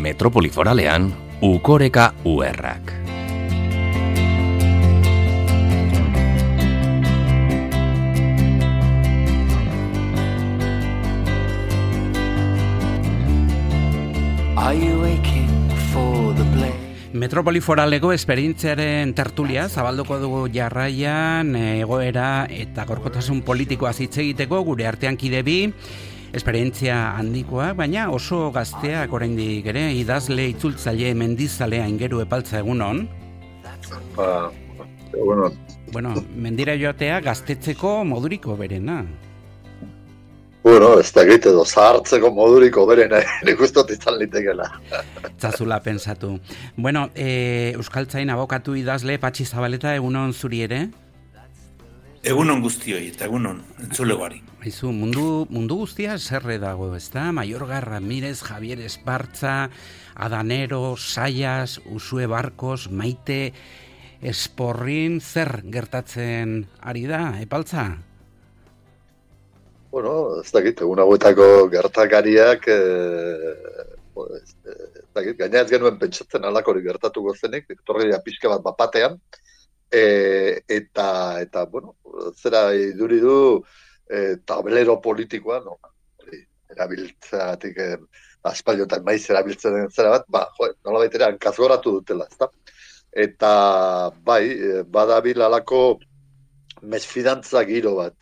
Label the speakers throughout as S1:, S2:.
S1: Metropoli Foralean, Ukoreka URrak.
S2: Metropoli Foraleko esperientziaren tertulia zabalduko dugu jarraian egoera eta gorkotasun politikoa hitz egiteko gure artean kide bi esperientzia handikoa, baina oso gazteak oraindik ere idazle itzultzaile mendizalea Aingeru Epaltza egunon. Bueno, mendira joatea gaztetzeko moduriko berena.
S3: Bueno, ez da egite edo zahartzeko moduriko berena, nik ustot izan litekela.
S2: Zazula pensatu. Bueno, Euskaltzain abokatu idazle Patxi Zabaleta egunon zuri ere?
S4: Egunon guztioi eta egunon entzulegoari.
S2: Aizu, mundu guztia zerre dago, ezta? Mayorga Ramirez, Javier Espartza, Adanero, Sayas, Usue Barkos, Maite, Esporrin, zer gertatzen ari da, Epaltza?
S3: Bueno, ez dakit, egun hauetako gertakariak, gaina ez genuen pentsatzen alakorik gertatuko zenik, etorria pixka bat bapatean, eta bueno, zera iduri du tablero politikoa, erabiltzeagatik aspaldiotan maiz erabiltzen den zera bat, nola baitera hankazgoratu dutela, ezta? Eta bai, badabil alako mesfidantza giro bat,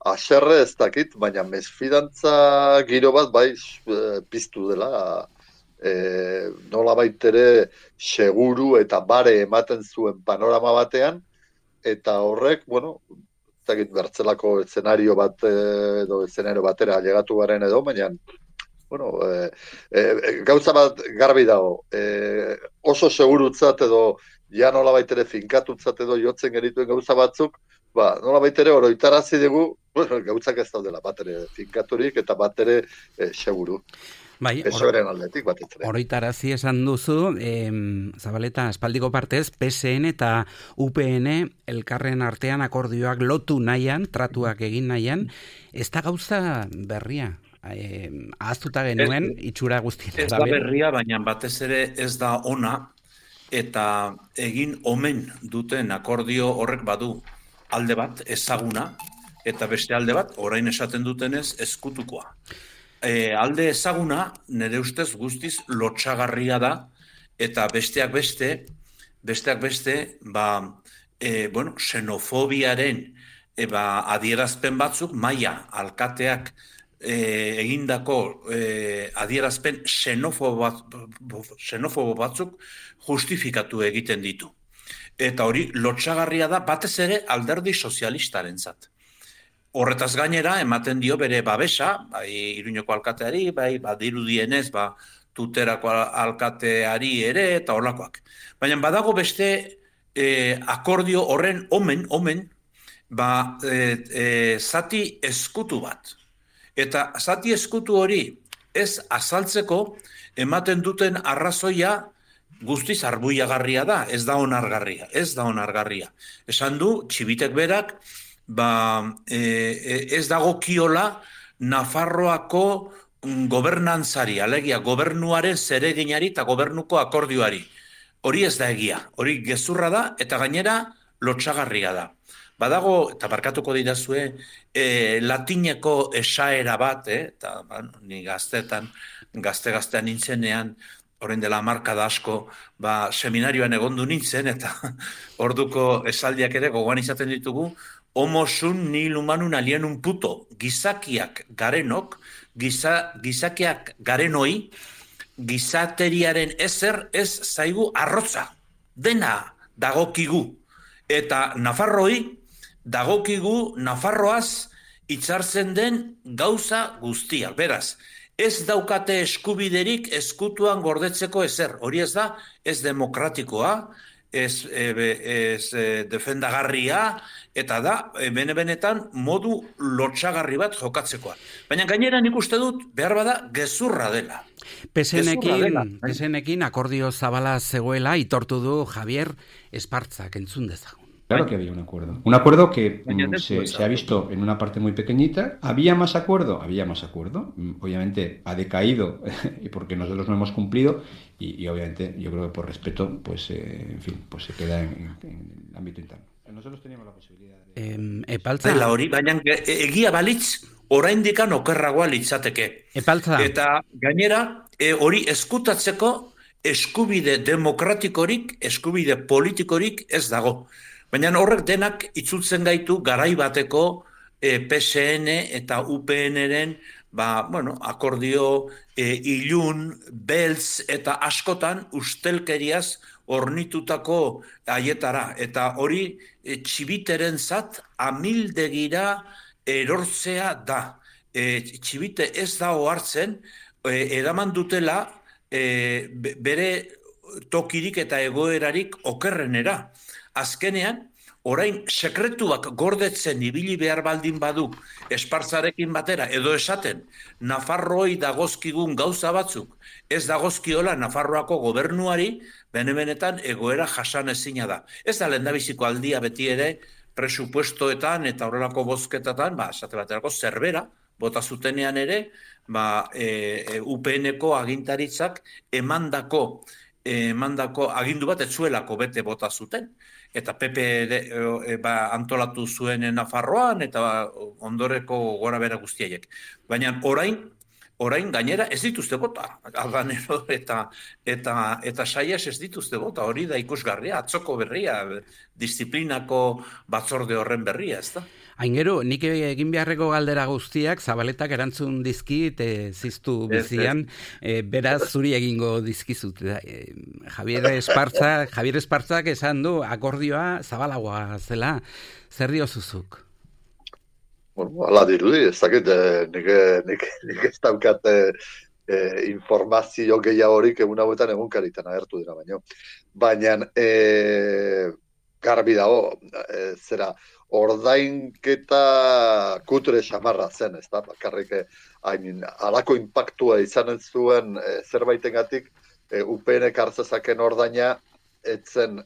S3: haserre ez dakit, baina mesfidantza giro bat bai piztu dela, nola baitere seguru eta bare ematen zuen panorama batean, eta horrek, bueno, ez dakit bertzelako eszenario bat edo eszenario batera llegatu garen edo, baina, bueno, gauza bat garbi dago, oso segurutzat edo ja nola baitere finkatutzat edo jotzen genituen gauza batzuk, nola baitere oroitarazi dugu, gauzak ez daudela batere finkaturik eta batere seguru.
S2: Bai,
S3: PSOEren aldetik bat etzere.
S2: Oroitarazi esan duzu, Zabaleta, espaldiko partez, PSN eta UPN elkarren artean akordioak lotu nahian, tratuak egin nahian, ez da gauza berria. Ahaztuta genuen, itxura guztien.
S4: Ez da berria, baina batez ere ez da ona, eta egin omen duten akordio horrek badu alde bat ezaguna, eta beste alde bat, orain esaten dutenez, ezkutukoa. Alde ezaguna, nire ustez guztiz lotsagarria da, eta besteak beste, xenofobiaren adierazpen batzuk, maila alkateak egindako adierazpen xenofobo batzuk justifikatu egiten ditu. Eta hori lotsagarria da batez ere alderdi sozialistarentzat. Horretaz gainera ematen dio bere babesa, bai Iruñeko alkateari, bai badirudienez, Tuterako alkateari ere eta horlakoak. Baina badago beste akordio horren omen zati eskutu bat. Eta zati eskutu hori ez azaltzeko ematen duten arrazoia guztiz arbuiagarria da, ez da onargarria. Esan du, Txibitek berak, ez dagokiola Nafarroako gobernantzari, alegia gobernuaren zereginari eta gobernuko akordioari. Hori ez da egia, hori gezurra da eta gainera lotsagarria da. Badago, eta barkatuko didazue, latineko esaera bat, eta ni gaztean nintzenean, orain dela markada asko, seminarioan egondu nintzen, eta orduko esaldiak ere gogoan izaten ditugu, homo sun nihil humanun alienum puto, gizakiak garenok, gizakiak garenoi, gizateriaren ezer ez zaigu arrotza, dena dagokigu, eta Nafarroi dagokigu Nafarroaz hitzartzen den gauza guztia. Beraz, ez daukate eskubiderik ezkutuan gordetzeko ezer. Hori ez da, ez demokratikoa, ez defendagarria, eta da, benetan modu lotsagarri bat jokatzekoa. Baina gainera nik uste dut, behar bada, gezurra dela.
S2: PSN-ekin akordio zabala zegoela itortu du Javier Espartzak entzun dezagun.
S5: Claro que había un acuerdo. Un acuerdo que
S4: Baina ez du
S5: se ha visto en una parte muy pequeñita. ¿Había más acuerdo? Había más acuerdo. Obviamente ha decaído y porque nosotros no hemos cumplido y obviamente yo creo que por respeto, pues en fin, pues se queda en el ámbito interno. Nosotros teníamos la posibilidad de...
S2: Epaltza,
S4: Dela hori, baina egia balitz, oraindikan okerragoa litzateke.
S2: Epaltza,
S4: Eta gainera, hori eskutatzeko eskubide demokratikorik, eskubide politikorik ez dago. Baina horrek denak itzultzen gaitu garai bateko PSN eta UPN-ren akordio ilun, beltz eta askotan ustelkeriaz ornitutako aietara. Eta hori txibiteren zat amildegira erortzea da. Txibite ez da ohartzen, eraman dutela bere tokirik eta egoerarik okerrenera. Azkenean, orain sekretuak gordetzen ibili behar baldin badu Espartzarekin batera, edo esaten, Nafarrooi dagozkigun gauza batzuk, ez dagozkiola Nafarroako gobernuari, benetan egoera jasan ezina da. Ez da lehendabiziko aldia beti ere, presupuestoetan eta horrelako bozketatan, esate baterako zerbera, bota zutenean ere, UPN-ko agintaritzak emandako agindu bat etzuelako bete bota zuten. Eta PP antolatu zuen Nafarroan eta ondoreko gora bera guztiaiek. Baina orain gainera ez dituzte bota. Aldanero eta Saias ez dituzte bota. Hori da ikusgarria, atzoko berria, disiplinako batzorde horren berria, ez da?
S2: Aingero, nik egin beharreko galdera guztiak Zabaletak erantzun dizkit ziztu bizian, beraz zuri egingo dizkizut. Javier Espartzak esan du akordioa zabalagoa zela. Zer diozuzuk?
S3: Bueno, ala dirudi, ez dakit, nik ez daukat informazio gehiagorik egun hauetan egunkaritan agertu dira baino. Baina garbi dago, zera, ordainketa kutre xamarra zen, ez da, bakarrik alako impactua izan zuen zerbaitengatik UPN-ek hartzezaken ordaina etzen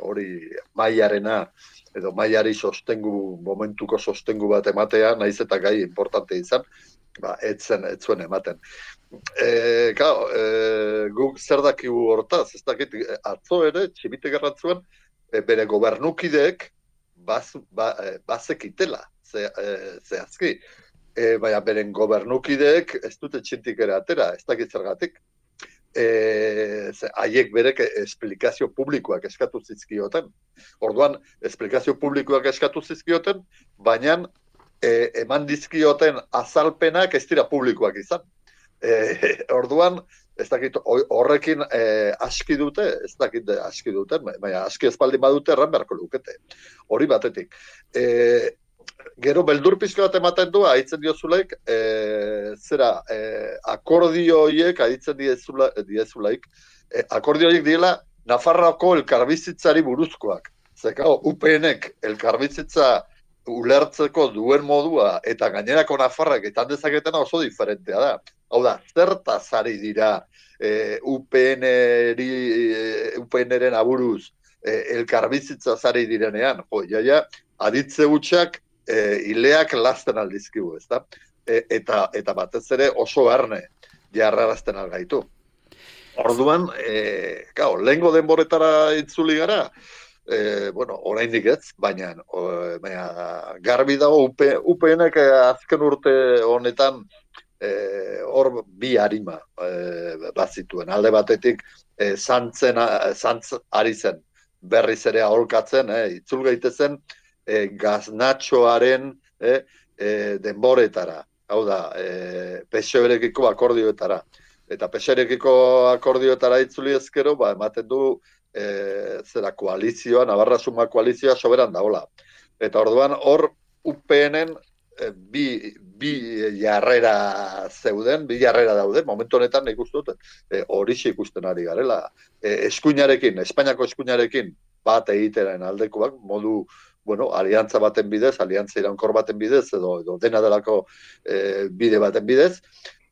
S3: hori mailarena edo mailari momentuko sostengu bat ematea, naiz eta gai importante izan, etzen zuen ematen. Guk zer dakigu hortaz, ez dakit, atzo ere, txibite gerratzuen, bere gobernukideek bazekitela, zehazki. Baina beren gobernukideek ez dute txintik ere atera, ez dakit zergatik. Haiek berek esplikazio publikoak eskatu zizkioten. Orduan, esplikazio publikoak eskatu zizkioten, baina eman dizkioten azalpenak ez dira publikoak izan. Orduan, ez dakit horrekin aski dute, ez dakit aski duten, baina aski espaldin badute erran beharko lukete. Hori batetik. Gero beldur pizka bat ematen du, haitzen diozulaik, akordio horiek, haitzen diezulaik, akordio horiek diela Nafarroako elkarbizitzari buruzkoak. Zekao, UPN-ek elkarbizitza ulertzeko duen modua eta gainerako Nafarrak etan dezaketena oso diferentea da. Hau da, zertaz ari dira UPN-eren aburuz elkarbizitza zari direnean. Aditze gutxak ileak lasten aldizkigu, ez da? Eta batez ere oso erne jarrarazten algaitu. Orduan, lehengo denboretara itzuli gara, oraindik ez, baina garbi dago UPN-ek azken urte honetan hor bi harima bazituen. Alde batetik zantz ari zen berriz ere aholkatzen, itzul gaitezen gaznatxoaren denboretara. Hau da, PSOE-rekiko akordioetara. Eta PSOE-rekiko akordioetara itzuli ezkero, ematen du koalizioa, Navarra Suma koalizioa soberan daola. Eta orduan hor UPN-en bi jarrera zeuden, bi jarrera dauden, momentu honetan nik uste dut, horixe ikusten ari garela. Eskuinarekin, Espainiako eskuinarekin bat egiteren aldekoak, modu, aliantza baten bidez, aliantza iraunkor baten bidez, edo dena delako bide baten bidez,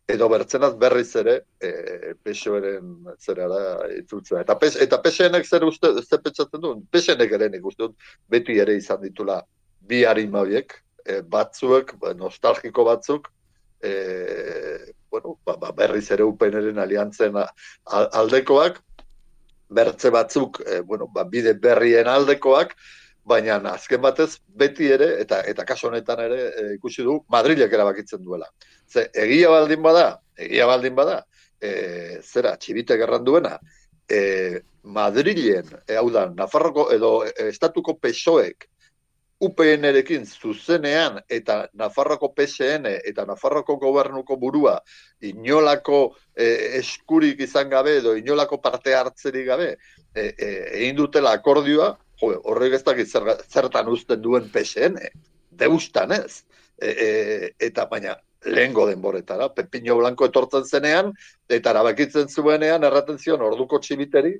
S3: edo bertzenaz berriz ere PSOE-ren zerara itzultzea. Eta PSN-ek zer pentsatzen du? PSN-ek ere nik uste dut beti ere izan ditula bi arima horiek, batzuek, nostalgiko batzuk, berriz ere UPN-ren aliantzen aldekoak, bertze batzuk, bide berrien aldekoak, baina azken batez beti ere, eta kaso honetan ere ikusi du, Madrilek erabakitzen duela. Ze, egia baldin bada, zera, txibitek erran duena, Madrilen, hau da, Nafarroko edo estatuko PSOEk UPN-erekin zuzenean eta Nafarroko PSN eta Nafarroko gobernuko burua inolako eskurik izan gabe edo inolako parte hartzerik gabe egin dutela akordioa, horrek ez dakit zertan uzten duen PSN, deustan ez. Eta baina lehengo denboretara, Pepino Blanco etortzen zenean, eta erabakitzen zuenean, erraten zion orduko txibiteri,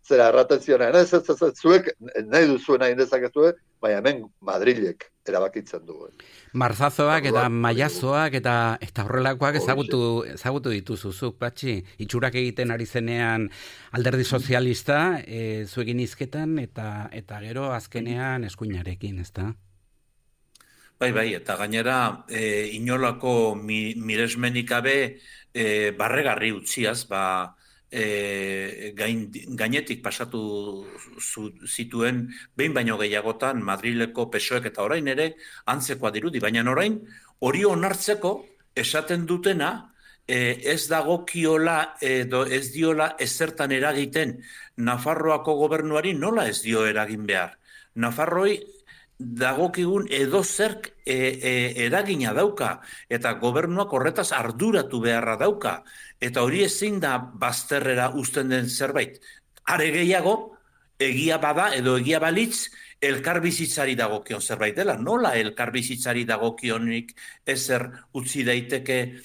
S3: zera erraten zionean, ez, zuek nahi duzuena indezakezue, baina hemen Madrilek erabakitzen du.
S2: Marzazoak eta maiazoak eta horrelakoak ezagutu dituzuzuk, Patxi. Itxurak egiten ari zenean Alderdi Sozialista, zuekin hizketan eta gero azkenean eskuinarekin, ezta?
S4: Bai, eta gainera inolako miresmenik gabe barregarri utziaz, gainetik pasatu zituen behin baino gehiagotan Madrileko PSOEk eta orain ere antzekoa dirudi, baina orain hori onartzeko esaten dutena ez dagokiola edo ez diola ezertan eragiten Nafarroako gobernuari, nola ez dio eragin behar. Nafarroi dagokigun edozerk eragina dauka, eta gobernuak horretaz arduratu beharra dauka, eta hori ezin da bazterrera uzten den zerbait. Are gehiago, egia bada edo egia balitz, elkarbizitzari dagokion zerbait dela. Nola elkarbizitzari dagokionik ezer utzi daiteke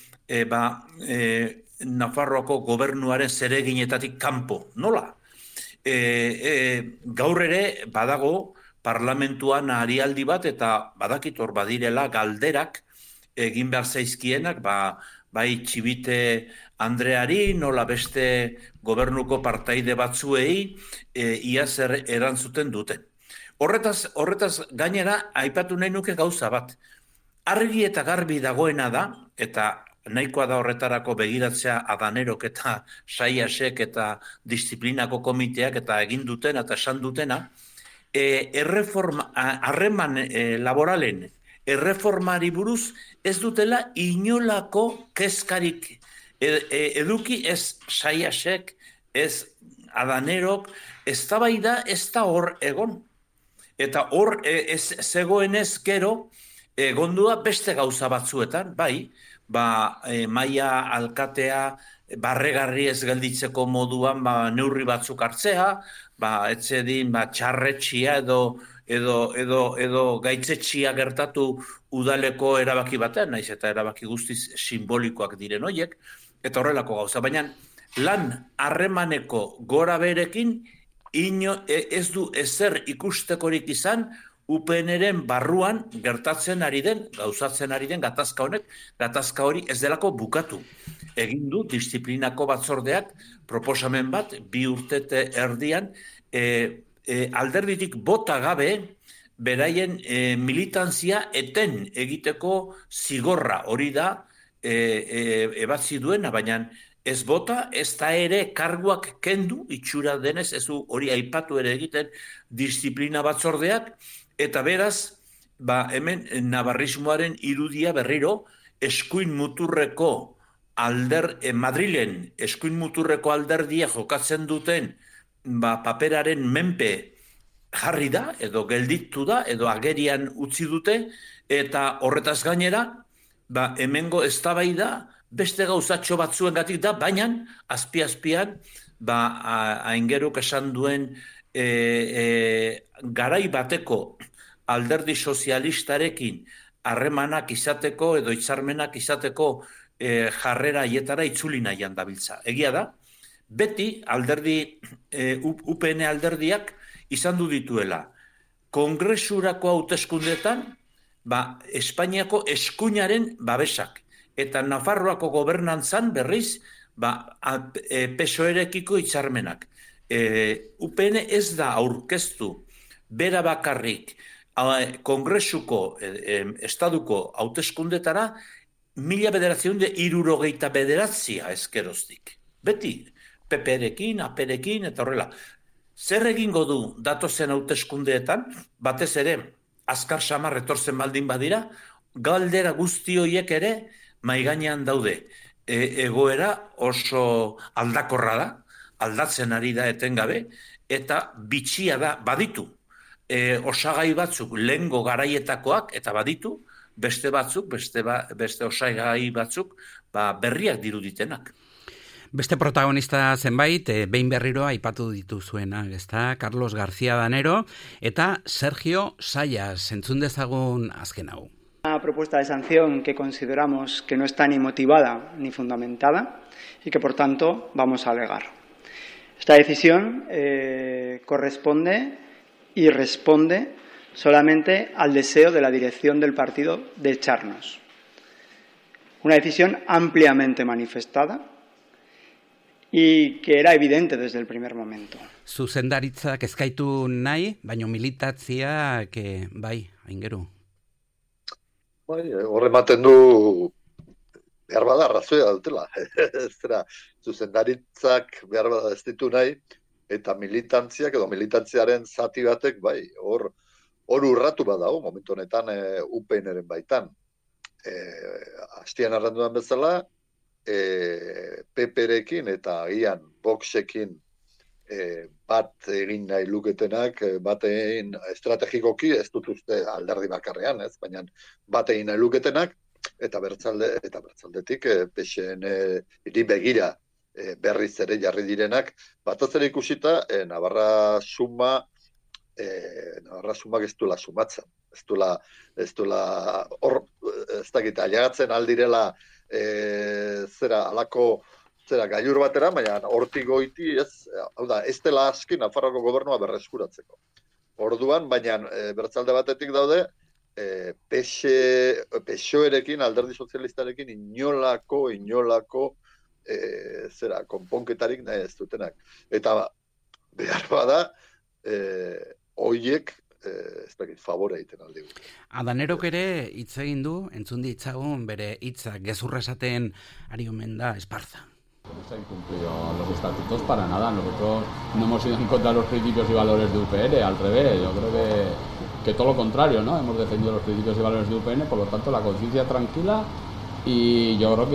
S4: Nafarroako gobernuaren zereginetatik kanpo? Nola? Gaur ere badago parlamentuan arialdi bat, eta badakit hor badirela galderak egin behar zaizkienak, bai Txibite Andreari, nola beste gobernuko partaide batzuei ia zer erantzuten duten. Horretaz gainera aipatu nahi nuke gauza bat. Argi eta garbi dagoena da, eta nahikoa da horretarako begiratzea Adanerok eta Saiasek eta disiplinako komiteak eta egin dutena eta esan dutena, harreman laboralen erreformari buruz ez dutela inolako kezkarik eduki, ez Saiasek, ez Adanerok, eztabaida ez da hor egon. Eta hor ez zegoenez gero egondua beste gauza batzuetan, bai, maila alkatea barregarri ez gelditzeko moduan neurri batzuk hartzea, etzedin txarretxia edo gaitzetxia gertatu udaleko erabaki batean, naiz eta erabaki guztiz simbolikoak diren horiek, eta horrelako gauza. Baina lan harremaneko gora berekin ez du ezer ikustekorik izan UPN-ren barruan gertatzen ari den, gauzatzen ari den gatazka honek, gatazka hori ez delako bukatu. Egin du disiplinako batzordeak proposamen bat, 2 urtete erdian, alderditik bota gabe, beraien militantzia eten egiteko zigorra hori da ebatzi duena, baina ez bota, ez da ere karguak kendu, itxura denez, ez du hori aipatu ere egiten disiplina batzordeak, eta beraz, hemen navarrismoaren irudia berriro, eskuin muturreko Madrilen eskuin muturreko alderdia jokatzen duten paperaren menpe jarri da, edo gelditu da, edo agerian utzi dute, eta horretaz gainera, hemengo eztabaida beste gauzatxo batzuengatik da, baina azpi-azpian, aingeruk esan duen garai bateko alderdi sozialistarekin harremanak izateko edo hitzarmenak izateko jarrera hietara itzuli nahian dabiltza. Egia da, beti UPN alderdiak izan du dituela. Kongresurako hauteskundetan, Espainiako eskuinaren babesak. eta Nafarroako gobernantzan berriz, PSOE-rekiko hitzarmenak. UPN ez da aurkeztu bera bakarrik Kongresuko, Estaduko hauteskundetara 1969 ezkeroztik. Beti, PP-rekin, AP-rekin, eta horrela. Zer egingo du datozen hauteskundeetan, batez ere, azkar samar etortzen baldin badira, galdera guzti horiek ere maigainean daude. Egoera oso aldakorra da, aldatzen ari da etengabe, eta bitxia da, baditu. Osagai batzuk lehengo garaietakoak, eta baditu, beste batzuk, beste osagai batzuk, berriak diruditenak.
S2: Beste protagonista zenbait, behin berriro aipatu dituzuena, ezta? Carlos García Danero eta Sergio Sayas, entzun dezagun azken hau.
S6: Una propuesta de sanción que consideramos que no está ni motivada ni fundamentada y que por tanto vamos a alegar. Esta decisión corresponde y responde solamente al deseo de la dirección del partido de echarnos. Una decisión ampliamente manifestada y que era evidente desde el primer momento.
S2: Zuzendaritzak eskaitu nahi, baino militatziak bai, aingeru.
S3: Horre ematen du behar bada arrazoia dutela. Zuzendaritzak behar bada ez ditu nahi, eta militantziak edo militantziaren zati batek, bai, hor urratu badago, momentu honetan UPN-eren baitan. Hastian arranduan bezala, PP-rekin eta agian Voxekin bat egin nahi luketenak, bat egin estrategikoki, ez dut uste alderdi bakarrean, ez, baina bat egin nahi luketenak, eta bertzaldetik PSN hiri begira berriz ere jarri direnak, bataz ere ikusita, Navarra sumak ez duela sumatzen. Ez duela hor, ez dakit, aliagatzen aldirela gailur batera, baina hortik goiti ez dela aski Nafarroko gobernua berreskuratzeko. Orduan, baina bertzalde batetik daude, PSOE-rekin, alderdi sozialistarekin inolako konponketarik nahi ez dutenak. Eta behar bada, hoiek ez dakit, favore egiten aldi.
S2: Adanerok ere hitz egin du, entzun ditzagun bere hitzak gezurra esaten ari omen da Esparza.
S7: No se han incumplido los estatutos para nada. Nosotros no hemos ido en contra de los principios y valores de UPN, al revés. Yo creo que todo lo contrario, ¿no? Hemos defendido los principios y valores de UPN, por lo tanto la conciencia tranquila y yo creo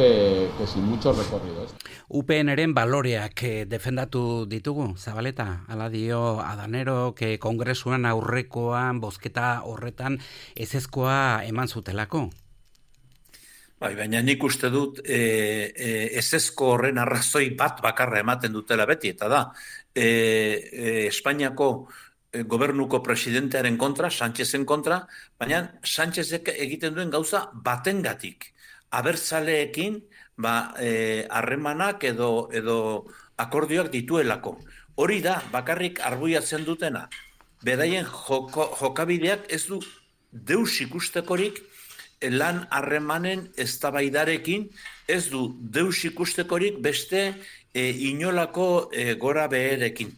S7: que sin mucho recorrido.
S2: UPN-eren baloreak defendatu ditugu, Zabaleta, ala dio Adanero, kongresuan aurrekoan, bozketa horretan ezezkoa eman zutelako.
S4: Baina nik uste dut ezezko horren arrazoi bat bakarra ematen dutela beti, eta da, Espainiako gobernuko presidentearen kontra, Sánchezen kontra, baina Sánchezek egiten duen gauza batengatik. Abertzaleekin harremanak edo akordioak dituelako. Hori da, bakarrik arbuiatzen dutena. Beraien jokabideak ez du deus ikustekorik lan harremanen eztabaidarekin, ez du deus ikustekorik beste inolako gora beherekin.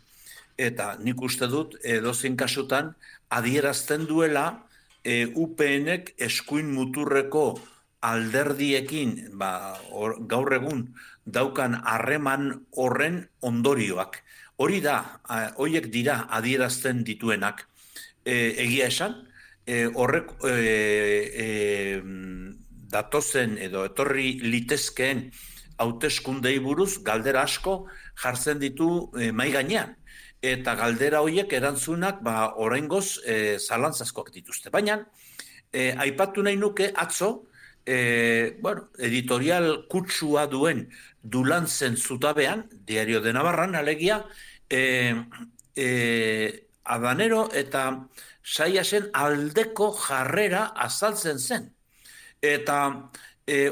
S4: Eta nik uste dut edozein kasutan adierazten duela UPN-ek eskuin muturreko alderdiekin gaur egun daukan harreman horren ondorioak. Hori da, horiek dira adierazten dituenak. Egia esan, horrek datozen edo etorri litezkeen hauteskundei buruz galdera asko jartzen ditu mahai gainean. Eta galdera horiek erantzunak oraingoz zalantzazkoak dituzte. Baina, aipatu nahi nuke atzo, editorial kutsua duen Dulantzen zutabean, Diario de Navarran, alegia, Adanero eta Sayasen aldeko jarrera azaltzen zen. Eta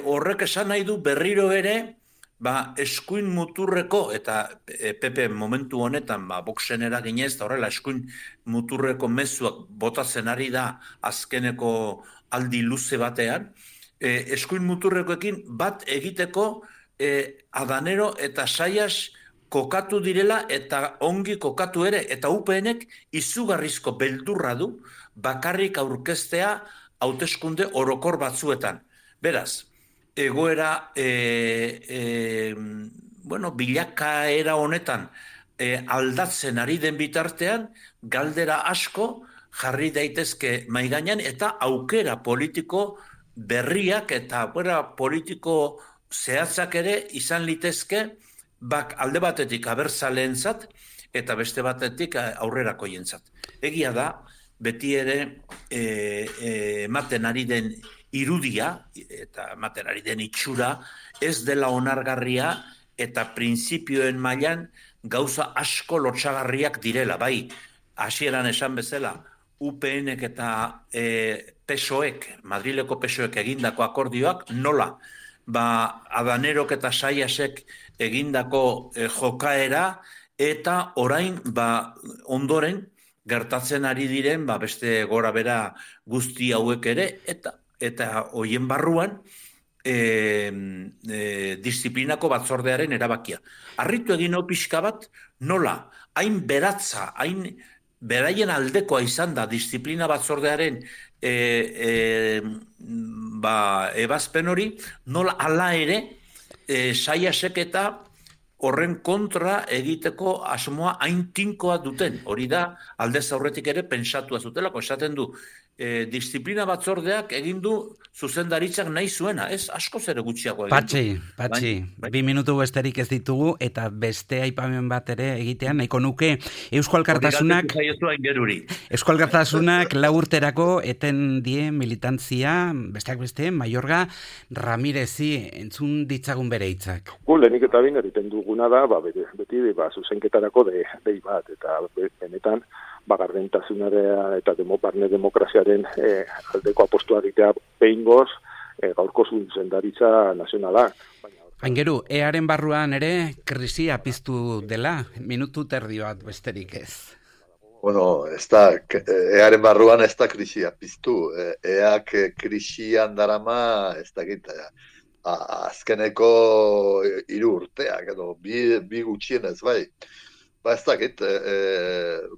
S4: horrek esan nahi du berriro ere, eskuin muturreko, eta PP momentu honetan, Voxen eraginez, eta horrela eskuin muturreko mezuak botatzen ari da azkeneko aldi luze batean, eskuin muturrekoekin bat egiteko Adanero eta Saias kokatu direla eta ongi kokatu ere, eta UPNek izugarrizko beldurra du bakarrik aurkeztea hauteskunde orokor batzuetan. Beraz, egoera bilakaera honetan aldatzen ari den bitartean, galdera asko jarri daitezke maigainan eta aukera politiko berriak eta politiko zehatzak ere izan litezke alde batetik abertzaleentzat eta beste batetik aurrerakoientzat. Egia da, beti ere ematen ari den irudia eta ematen ari den itxura ez dela onargarria eta printzipioen mailan gauza asko lotsagarriak direla. Bai, hasieran esan bezala, UPNek eta PSOEk, Madrileko PSOEk egindako akordioak nola? Adanerok eta Saiasek egindako jokaera eta orain ondoren gertatzen ari diren beste gora bera guzti hauek ere eta hoien barruan disiplinako batzordearen erabakia. Harritu egin hau pixka bat nola, hain beratza, hain beraien aldekoa izan da disiplina batzordearen ebazpen hori, nola ala ere Saiasek eta horren kontra egiteko asmoa hain tinkoa duten. Hori da, aldez aurretik ere pentsatua zutelako, esaten du, disiplina batzordeak egin du zuzendaritzak nahi zuena, ez asko ere gutxiago egin du.
S2: Patxi, 2 minutu besterik ez ditugu, eta beste aipamen bat ere egitean, nahiko nuke Eusko Alkartasunak lau urterako eten die militantzia, besteak beste, Mayorga Ramirezi entzun ditzagun bere hitzak.
S8: Lehenik eta bain egiten duguna da, beti zuzenketarako dei bat, eta benetan gardentasunarea eta barne demokraziaren aldeko apostua egitea behingoz gaurko zuzendaritza nazionala.
S2: Aingeru, earen barruan ere krisia piztu dela, minutu terdi bat besterik ez.
S3: Bueno, earen barruan ez da krisia piztu. Eak krisian darama ez da gita. Azkeneko 3 urteak edo bi gutxienez bai. Ez dakit,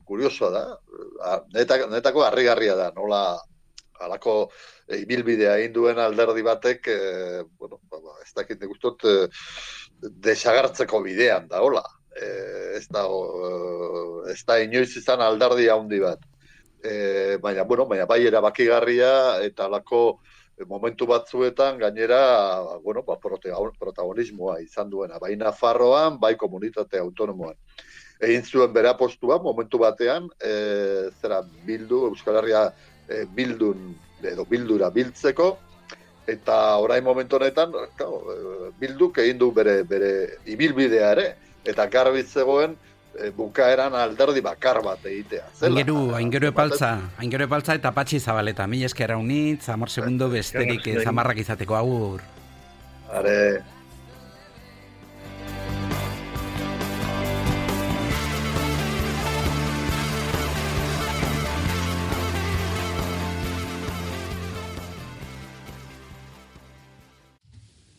S3: kuriosoa da, netako harrigarria da, nola halako ibilbidea egin duen alderdi batek, ez dakit nik ustot desagartzeko bidean da, hola. Ez da inoiz izan alderdi handi bat. Baina bai erabakigarria eta halako momentu batzuetan gainera, protagonismoa izan duena, bai Nafarroan, bai komunitate autonomoan. Egin zuen bere apostua, momentu batean, Euskal Herria bildura biltzeko, eta orain momentu honetan, bilduk egin du bere ibilbidea ere, eta garbi zegoen bukaeran alderdi bakar bat egitea.
S2: Aingeru epaltza eta Patxi Zabaleta, mila esker haunitz, 10 segundo besterik zamarrak izateko, agur.
S3: Are...